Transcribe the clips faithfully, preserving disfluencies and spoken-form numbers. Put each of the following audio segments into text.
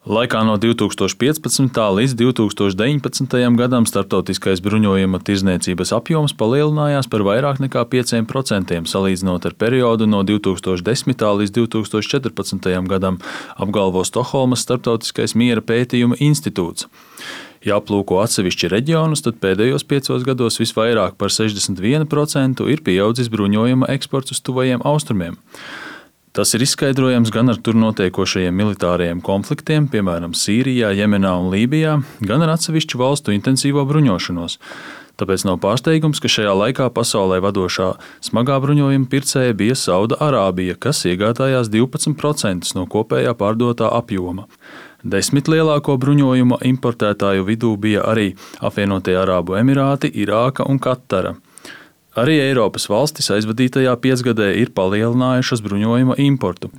Laikā no divi tūkstoši piecpadsmitā līdz divi tūkstoši deviņpadsmitajam gadam starptautiskais bruņojuma tirdzniecības apjoms palielinājās par vairāk nekā pieciem procentiem salīdzinot ar periodu no divi tūkstoši desmitā līdz divi tūkstoši četrpadsmitajam gadam, apgalvo Stokholmas Starptautiskais miera pētījuma institūts. Ja aplūko atsevišķi reģionus, tad pēdējos piecos gados visvairāk par sešdesmit vienu procentu ir pieaudzis bruņojuma eksports uz tuvajiem austrumiem. Tas ir izskaidrojams gan ar tur notiekošajiem militārajiem konfliktiem, piemēram, Sīrijā, Jemenā un Lībijā, gan ar atsevišķu valstu intensīvo bruņošanos. Tāpēc nav pārsteigums, ka šajā laikā pasaulē vadošā smagā bruņojuma pircēja bija Sauda Arābija, kas iegādājās divpadsmit procentus no kopējā pārdotā apjoma. Desmit lielāko bruņojuma importētāju vidū bija arī Apvienotie Arābu Emirāti, Irāka un Katara. Arī Eiropas valstis aizvadītajā piecgadē ir palielinājušas bruņojuma importu.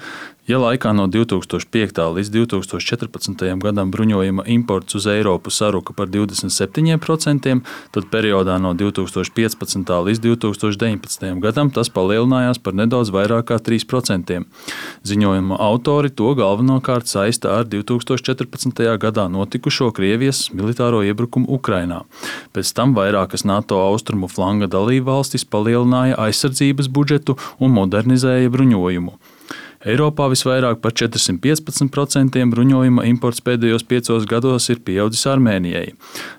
Ja laikā no divi tūkstoši piektā līdz divi tūkstoši četrpadsmitajam gadam bruņojuma imports uz Eiropu saruka par divdesmit septiņiem procentiem, tad periodā no divi tūkstoši piecpadsmitā līdz divi tūkstoši deviņpadsmitajam gadam tas palielinājās par nedaudz vairāk kā trīs procentiem. Ziņojuma autori to galvenokārt saista ar divi tūkstoši četrpadsmitajā gadā notikušo Krievijas militāro iebrukumu Ukrainā. Pēc tam vairākas NATO austrumu flanga dalībvalstis palielināja aizsardzības budžetu un modernizēja bruņojumu. Eiropā visvairāk par četrsimt piecpadsmit procentiem bruņojuma imports pēdējos piecos gados ir pieaudzis Armēnijai.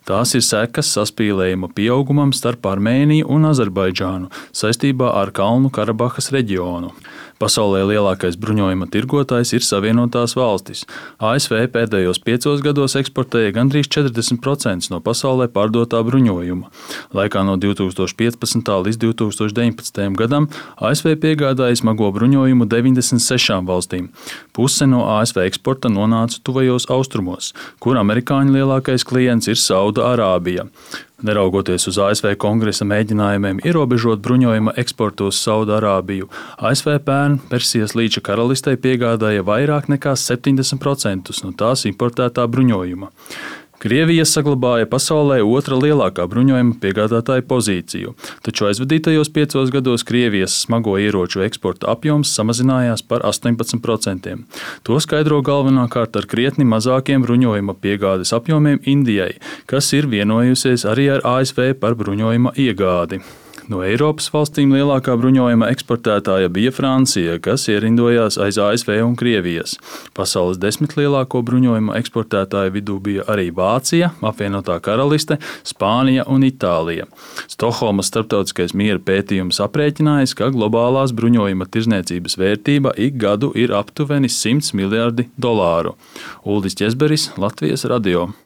Tās ir sekas saspīlējuma pieaugumam starp Armēniju un Azerbaidžānu saistībā ar Kalnu Karabahas reģionu. Pasaulē lielākais bruņojuma tirgotājs ir Savienotās valstis. A S V pēdējos piecos gados eksportēja gandrīz četrdesmit procentus no pasaulē pārdotā bruņojuma. Laikā no divi tūkstoši piecpadsmitā līdz divi tūkstoši deviņpadsmitajam gadam A S V piegādāja smago bruņojumu deviņdesmit sešām valstīm. Puse no A S V eksporta nonāca tuvajos austrumos, kur amerikāņu lielākais klients ir Sauda Arābija. Neraugoties uz A S V kongresa mēģinājumiem ierobežot bruņojuma eksportu uz Saudu Arābiju, A S V pērn Persijas līča karalistei piegādāja vairāk nekā septiņdesmit procentus no tās importētā bruņojuma. Krievija saglabāja pasaulē otra lielākā bruņojuma piegādātāja pozīciju, taču aizvadītajos piecos gados Krievijas smago ieroču eksporta apjoms samazinājās par astoņpadsmit procentiem. To skaidro galvenokārt ar krietni mazākiem bruņojuma piegādes apjomiem Indijai, kas ir vienojusies arī ar A S V par bruņojuma iegādi. No Eiropas valstīm lielākā bruņojuma eksportētāja bija Francija, kas ierindojās aiz A S V un Krievijas. Pasaules desmit lielāko bruņojuma eksportētāju vidū bija arī Vācija, Apvienotā Karaliste, Spānija un Itālija. Stokholmas Starptautiskais miera pētījums aprēķinājis, ka globālās bruņojuma tirdzniecības vērtība ik gadu ir aptuveni simts miljardi dolāru. Uldis Ķezberis, Latvijas radio.